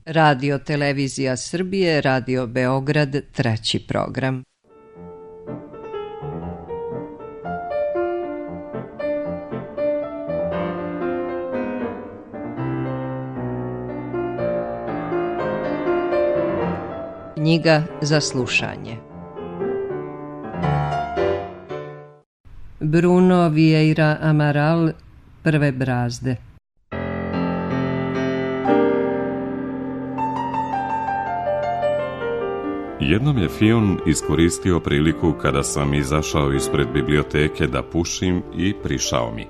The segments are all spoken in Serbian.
Radio Televizija Srbije, Radio Beograd, 3. program. Knjiga za slušanje. Bruno Vieira Amaral, Prve brazde. Jednom je Fion iskoristio priliku kada sam izašao ispred biblioteke da pušim i prišao mi.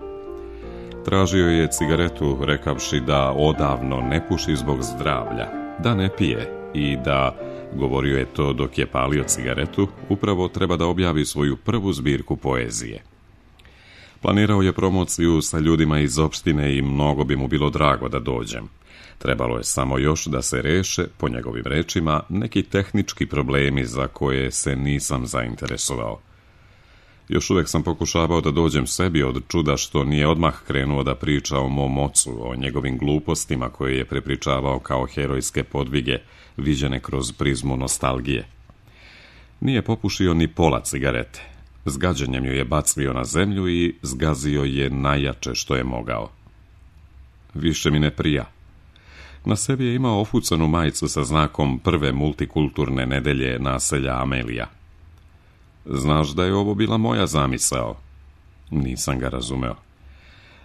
Tražio je cigaretu, rekavši da odavno ne puši zbog zdravlja, da ne pije i da, govorio je to dok je palio cigaretu, upravo treba da objavi svoju prvu zbirku poezije. Planirao je promociju sa ljudima iz opštine i mnogo bi mu bilo drago da dođem. Trebalo je samo još da se reše, po njegovim rečima, neki tehnički problemi za koje se nisam zainteresovao. Još uvijek sam pokušavao da dođem sebi od čuda što nije odmah krenuo da priča o mom ocu, o njegovim glupostima koje je prepričavao kao herojske podvige, viđene kroz prizmu nostalgije. Nije popušio ni pola cigarete. S gađenjem ju je bacio na zemlju i zgazio je najjače što je mogao. Više mi ne prija. Na sebi je imao ofucanu majicu sa znakom prve multikulturne nedelje naselja Amelija. Znaš da je ovo bila moja zamisao? Nisam ga razumeo.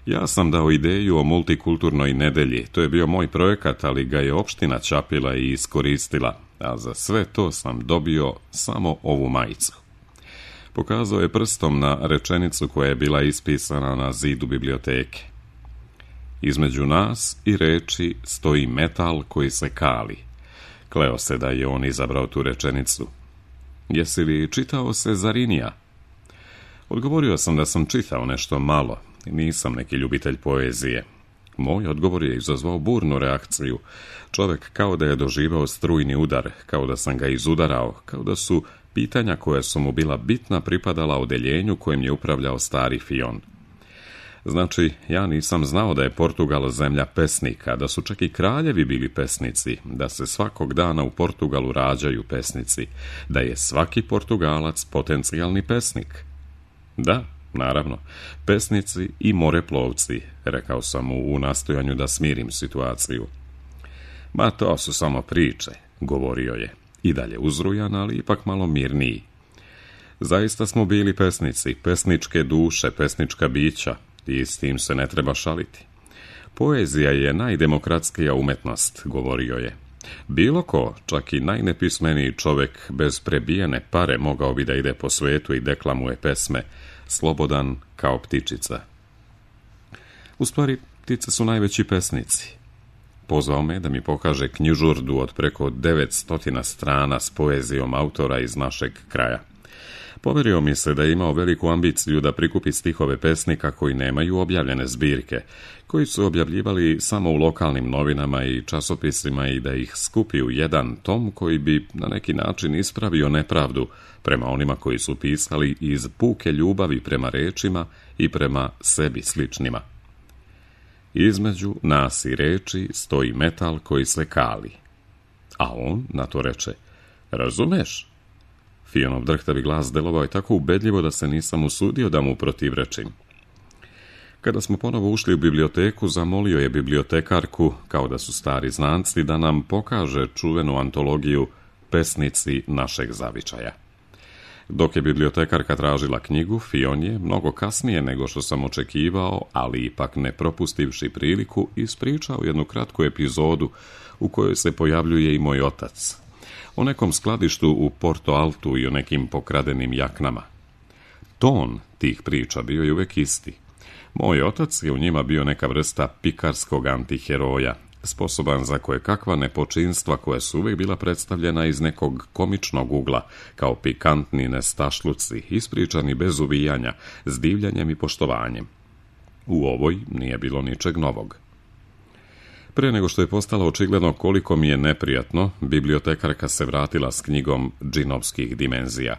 Ja sam dao ideju o multikulturnoj nedelji, to je bio moj projekat, ali ga je opština čapila i iskoristila, a za sve to sam dobio samo ovu majicu. Pokazao je prstom na rečenicu koja je bila ispisana na zidu biblioteke. Između nas i reči stoji metal koji se kali. Kleo se da je on izabrao tu rečenicu. Jesi li čitao Sezarinija? Odgovorio sam da sam čitao nešto malo. Nisam neki ljubitelj poezije. Moj odgovor je izazvao burnu reakciju. Čovjek kao da je doživao strujni udar, kao da sam ga izudarao, kao da su pitanja koja su mu bila bitna pripadala odeljenju kojim je upravljao stari Fion. Znači, ja nisam znao da je Portugal zemlja pesnika, da su čak i kraljevi bili pesnici, da se svakog dana u Portugalu rađaju pesnici, da je svaki Portugalac potencijalni pesnik. Da, naravno, pesnici i moreplovci, rekao sam mu u nastojanju da smirim situaciju. Ma to su samo priče, govorio je, i dalje uzrujan, ali ipak malo mirniji. Zaista smo bili pesnici, pesničke duše, pesnička bića, i s tim se ne treba šaliti. Poezija je najdemokratskija umetnost, govorio je. Bilo ko, čak i najnepismeniji čovjek bez prebijene pare mogao bi da ide po svetu i deklamuje pesme, slobodan kao ptičica. U stvari, ptice su najveći pesnici. Pozvao me da mi pokaže knjižurdu od preko 900 strana s poezijom autora iz našeg kraja. Poverio mi se da je imao veliku ambiciju da prikupi stihove pesnika koji nemaju objavljene zbirke, koji su objavljivali samo u lokalnim novinama i časopisima i da ih skupi u jedan tom koji bi na neki način ispravio nepravdu prema onima koji su pisali iz puke ljubavi prema rečima i prema sebi sličnima. Između nas i reči stoji metal koji se kali. A on na to reče, razumeš? Fionov drhtavi glas delovao je tako ubedljivo da se nisam usudio da mu protivrečim. Kada smo ponovo ušli u biblioteku, zamolio je bibliotekarku, kao da su stari znanci, da nam pokaže čuvenu antologiju Pesnici našeg zavičaja. Dok je bibliotekarka tražila knjigu, Fion je, mnogo kasnije nego što sam očekivao, ali ipak ne propustivši priliku, ispričao jednu kratku epizodu u kojoj se pojavljuje i moj otac. O nekom skladištu u Porto Altu i o nekim pokradenim jaknama. Ton tih priča bio je uvijek isti. Moj otac je u njima bio neka vrsta pikarskog antiheroja, sposoban za kojekakva nepočinstva koja su uvijek bila predstavljena iz nekog komičnog ugla, kao pikantni nestašluci, ispričani bez uvijanja, s divljanjem i poštovanjem. U ovoj nije bilo ničeg novog. Pre nego što je postalo očigledno koliko mi je neprijatno, bibliotekarka se vratila s knjigom džinovskih dimenzija.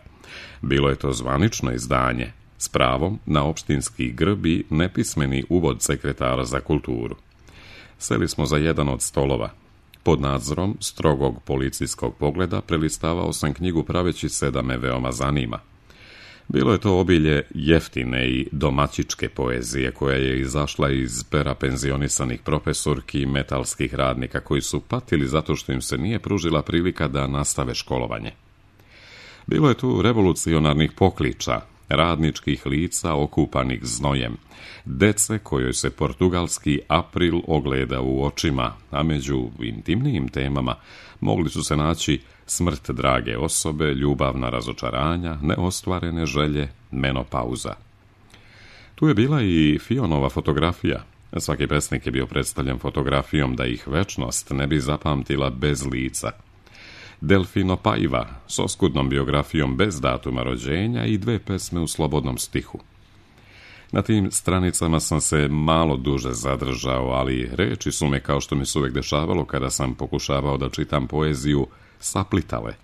Bilo je to zvanično izdanje, s pravom na opštinski grb i nepismeni uvod sekretara za kulturu. Seli smo za jedan od stolova. Pod nadzorom strogog policijskog pogleda prelistavao sam knjigu praveći se da me veoma zanima. Bilo je to obilje jeftine i domaćičke poezije koja je izašla iz pera penzionisanih profesorki i metalskih radnika koji su patili zato što im se nije pružila prilika da nastave školovanje. Bilo je tu revolucionarnih pokliča, radničkih lica okupanih znojem, dece kojoj se portugalski april ogleda u očima, a među intimnijim temama mogli su se naći smrt drage osobe, ljubavna razočaranja, neostvarene želje, menopauza. Tu je bila i Fionova fotografija. Svaki pesnik je bio predstavljen fotografijom da ih večnost ne bi zapamtila bez lica. Delfino Paiva s oskudnom biografijom bez datuma rođenja i 2 pesme u slobodnom stihu. Na tim stranicama sam se malo duže zadržao, ali reči su me, kao što mi se uvijek dešavalo kada sam pokušavao da čitam poeziju, saplitale.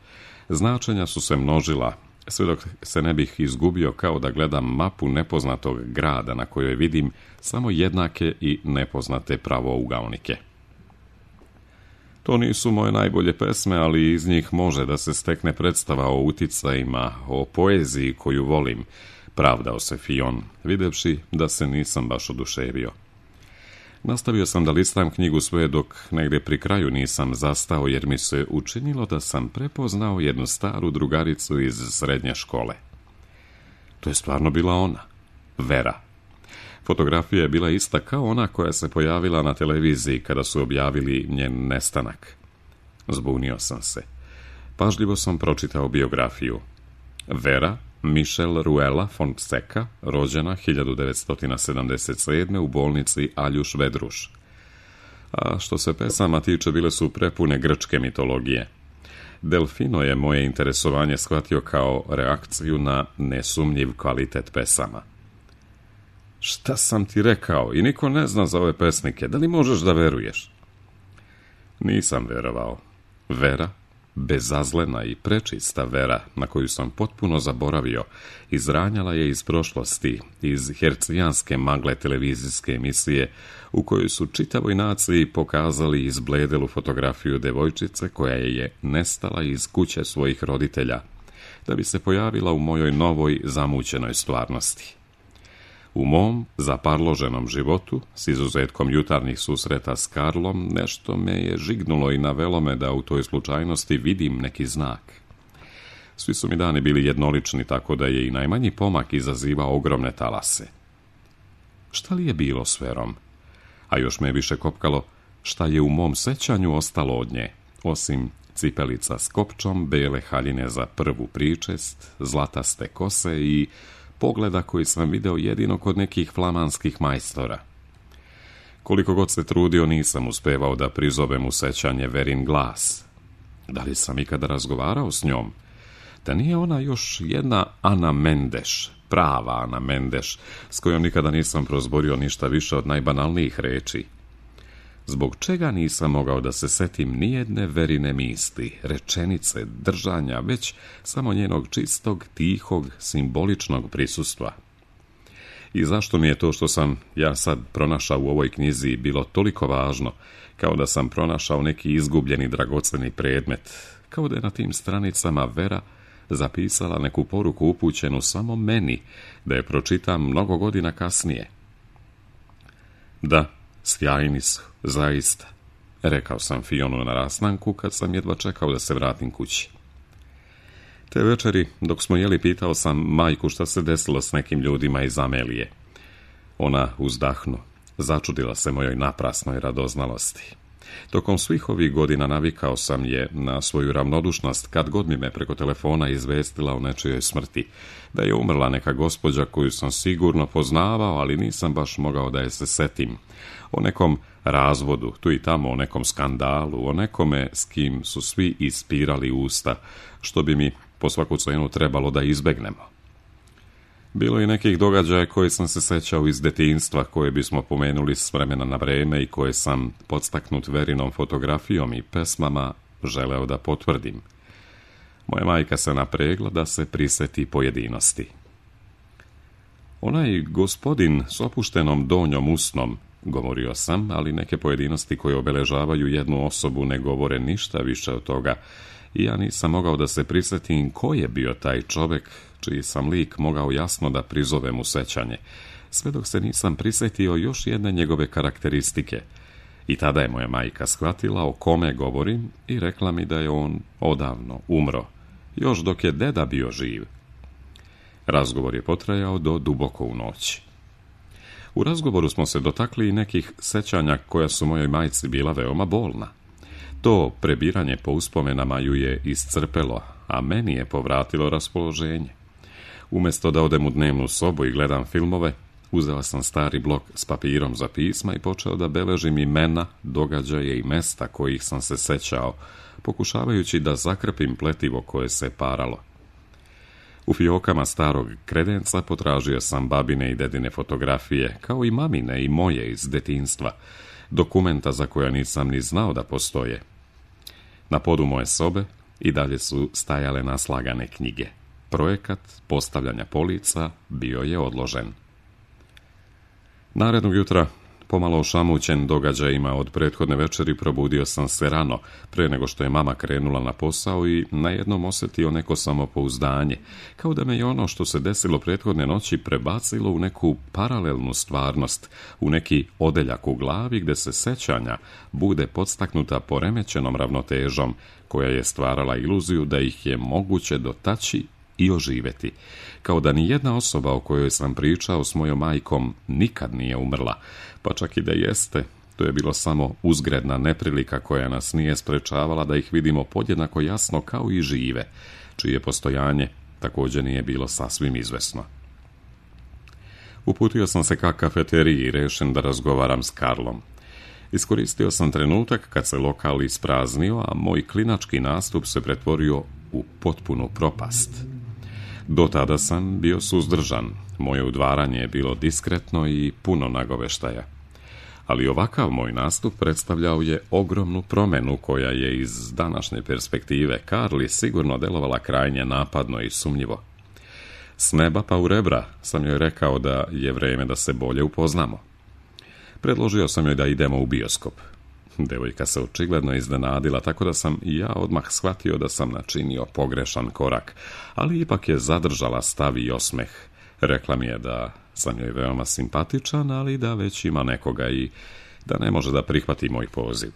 Značenja su se množila, sve dok se ne bih izgubio kao da gledam mapu nepoznatog grada na kojoj vidim samo jednake i nepoznate pravougaonike. To nisu moje najbolje pesme, ali iz njih može da se stekne predstava o uticajima, o poeziji koju volim, pravdao se Fion, videvši da se nisam baš oduševio. Nastavio sam da listam knjigu sve dok negdje pri kraju nisam zastao, jer mi se učinilo da sam prepoznao jednu staru drugaricu iz srednje škole. To je stvarno bila ona, Vera. Fotografija je bila ista kao ona koja se pojavila na televiziji kada su objavili njen nestanak. Zbunio sam se. Pažljivo sam pročitao biografiju. Vera Michelle Ruela Fonseca, rođena 1977. u bolnici Aljuš Vedruš. A što se pesama tiče, bile su prepune grčke mitologije. Delfino je moje interesovanje shvatio kao reakciju na nesumnjiv kvalitet pesama. Šta sam ti rekao? I niko ne zna za ove pesnike. Da li možeš da veruješ? Nisam verovao. Vera, bezazlena i prečista Vera, na koju sam potpuno zaboravio, izranjala je iz prošlosti, iz hercijanske magle televizijske emisije, u kojoj su čitavoj naciji pokazali izbledelu fotografiju devojčice koja je nestala iz kuće svojih roditelja, da bi se pojavila u mojoj novoj zamućenoj stvarnosti. U mom zaparloženom životu, s izuzetkom jutarnjih susreta s Karlom, nešto me je žignulo i navelo me da u toj slučajnosti vidim neki znak. Svi su mi dani bili jednolični, tako da je i najmanji pomak izazivao ogromne talase. Šta li je bilo s Verom? A još me više kopkalo šta je u mom sećanju ostalo od nje, osim cipelica s kopčom, bele haljine za prvu pričest, zlataste kose i pogleda koji sam video jedino kod nekih flamanskih majstora. Koliko god se trudio, nisam uspevao da prizovem u sećanje Verin glas. Da li sam ikada razgovarao s njom? Da nije ona još jedna Ana Mendeš, prava Ana Mendeš, s kojom nikada nisam prozborio ništa više od najbanalnijih reči? Zbog čega nisam mogao da se setim nijedne Verine misli, rečenice, držanja, već samo njenog čistog, tihog, simboličnog prisustva? I zašto mi je to što sam ja sad pronašao u ovoj knjizi bilo toliko važno, kao da sam pronašao neki izgubljeni dragoceni predmet, kao da je na tim stranicama Vera zapisala neku poruku upućenu samo meni, da je pročitam mnogo godina kasnije? Da, sjajni su, zaista, rekao sam Fionu na rastanku kad sam jedva čekao da se vratim kući. Te večeri, dok smo jeli, pitao sam majku šta se desilo s nekim ljudima iz Amelije. Ona uzdahnu, začudila se mojoj naprasnoj radoznalosti. Tokom svih ovih godina navikao sam je na svoju ravnodušnost kad god mi me preko telefona izvestila o nečijoj smrti, da je umrla neka gospođa koju sam sigurno poznavao, ali nisam baš mogao da je se setim. O nekom razvodu, tu i tamo o nekom skandalu, o nekome s kim su svi ispirali usta, što bi mi po svaku cenu trebalo da izbegnemo. Bilo je nekih događaja koje sam se sećao iz detinjstva, koje bismo pomenuli s vremena na vreme i koje sam, podstaknut Verinom fotografijom i pesmama, želeo da potvrdim. Moja majka se napregla da se priseti pojedinosti. Onaj gospodin s opuštenom donjom usnom, govorio sam, ali neke pojedinosti koje obeležavaju jednu osobu ne govore ništa više od toga i ja nisam mogao da se prisjetim ko je bio taj čovjek čiji sam lik mogao jasno da prizovem u sećanje, sve dok se nisam prisjetio još jedne njegove karakteristike. I tada je moja majka shvatila o kome govorim i rekla mi da je on odavno umro, još dok je deda bio živ. Razgovor je potrajao do duboko u noć. U razgovoru smo se dotakli i nekih sećanja koja su mojoj majci bila veoma bolna. To prebiranje po uspomenama ju je iscrpelo, a meni je povratilo raspoloženje. Umjesto da odem u dnevnu sobu i gledam filmove, uzela sam stari blok s papirom za pisma i počeo da beležim imena, događaje i mesta kojih sam se sećao, pokušavajući da zakrpim pletivo koje se paralo. U fiokama starog kredenca potražio sam babine i dedine fotografije, kao i mamine i moje iz detinjstva, dokumenta za koja nisam ni znao da postoje. Na podu moje sobe i dalje su stajale naslagane knjige. Projekat postavljanja polica bio je odložen. Narednog jutra, pomalo ošamućen događajima od prethodne večeri, probudio sam se rano, pre nego što je mama krenula na posao i najednom osjetio neko samopouzdanje, kao da me je ono što se desilo prethodne noći prebacilo u neku paralelnu stvarnost, u neki odeljak u glavi gde se sećanja bude podstaknuta poremećenom ravnotežom, koja je stvarala iluziju da ih je moguće dotaći i oživjeti, kao da ni jedna osoba o kojoj sam pričao s mojom majkom nikad nije umrla, pa čak i da jeste, to je bilo samo uzgredna neprilika koja nas nije sprečavala da ih vidimo podjednako jasno kao i žive, čije postojanje također nije bilo sasvim izvesno. Uputio sam se ka kafeteriji i rešen da razgovaram s Karlom. Iskoristio sam trenutak kad se lokal ispraznio, a moj klinački nastup se pretvorio u potpunu propast. Do tada sam bio suzdržan, moje udvaranje je bilo diskretno i puno nagoveštaja. Ali ovakav moj nastup predstavljao je ogromnu promjenu koja je iz današnje perspektive Karli sigurno delovala krajnje napadno i sumnjivo. S neba pa u rebra sam joj rekao da je vreme da se bolje upoznamo. Predložio sam joj da idemo u bioskop. Devojka se očigledno iznenadila, tako da sam i ja odmah shvatio da sam načinio pogrešan korak, ali ipak je zadržala stav i osmeh. Rekla mi je da sam joj veoma simpatičan, ali da već ima nekoga i da ne može da prihvati moj poziv.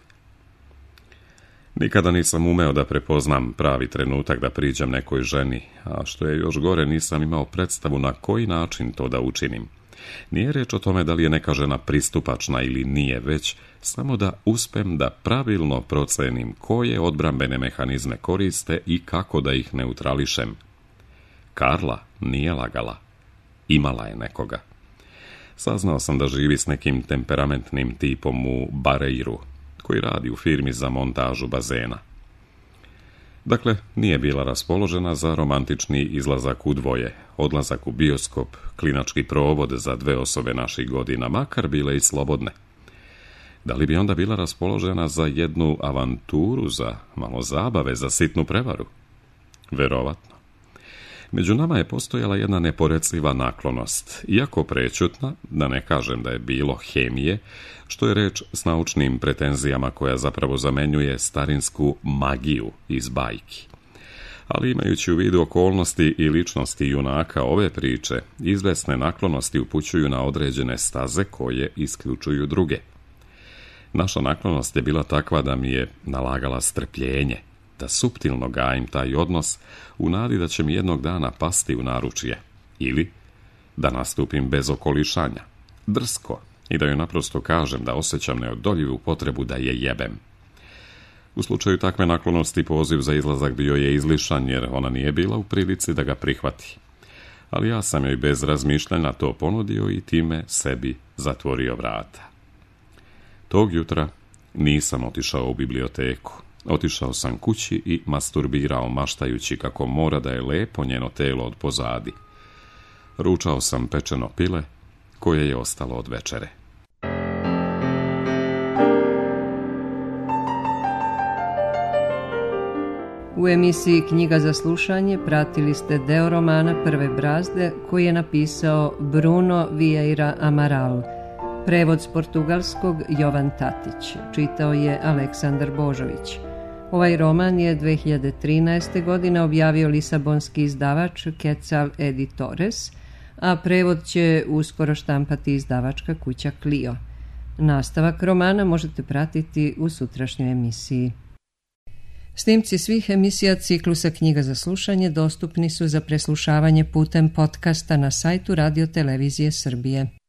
Nikada nisam umeo da prepoznam pravi trenutak da priđem nekoj ženi, a što je još gore, nisam imao predstavu na koji način to da učinim. Nije reč o tome da li je neka žena pristupačna ili nije, već samo da uspem da pravilno procenim koje odbrambene mehanizme koriste i kako da ih neutrališem. Karla nije lagala. Imala je nekoga. Saznao sam da živi s nekim temperamentnim tipom u Bareiru, koji radi u firmi za montažu bazena. Dakle, nije bila raspoložena za romantični izlazak u dvoje, odlazak u bioskop, klinački provod za 2 osobe naših godina, makar bile i slobodne. Da li bi onda bila raspoložena za jednu avanturu, za malo zabave, za sitnu prevaru? Verovatno. Među nama je postojala jedna neporeciva naklonost, iako prećutna, da ne kažem da je bilo hemije, što je reč s naučnim pretenzijama koja zapravo zamenjuje starinsku magiju iz bajki. Ali imajući u vidu okolnosti i ličnosti junaka ove priče, izvesne naklonosti upućuju na određene staze koje isključuju druge. Naša naklonost je bila takva da mi je nalagala strpljenje, da suptilno gajim taj odnos u nadi da će mi jednog dana pasti u naručje, ili da nastupim bez okolišanja, drsko, i da joj naprosto kažem da osjećam neodoljivu potrebu da je jebem. U slučaju takve naklonosti poziv za izlazak bio je izlišan, jer ona nije bila u prilici da ga prihvati. Ali ja sam joj bez razmišljanja to ponudio i time sebi zatvorio vrata. Tog jutra nisam otišao u biblioteku. Otišao sam kući i masturbirao, maštajući kako mora da je lepo njeno telo od pozadi. Ručao sam pečeno pile koje je ostalo od večere. U emisiji Knjiga za slušanje pratili ste deo romana Prve brazde koji je napisao Bruno Vieira Amaral. Prevod s portugalskog Jovan Tatić. Čitao je Aleksandar Božović. Ovaj roman je 2013. godine objavio lisabonski izdavač Quetzal Editores, a prevod će uskoro štampati izdavačka kuća Clio. Nastavak romana možete pratiti u sutrašnjoj emisiji. Snimci svih emisija ciklusa Knjiga za slušanje dostupni su za preslušavanje putem podcasta na sajtu Radio Televizije Srbije.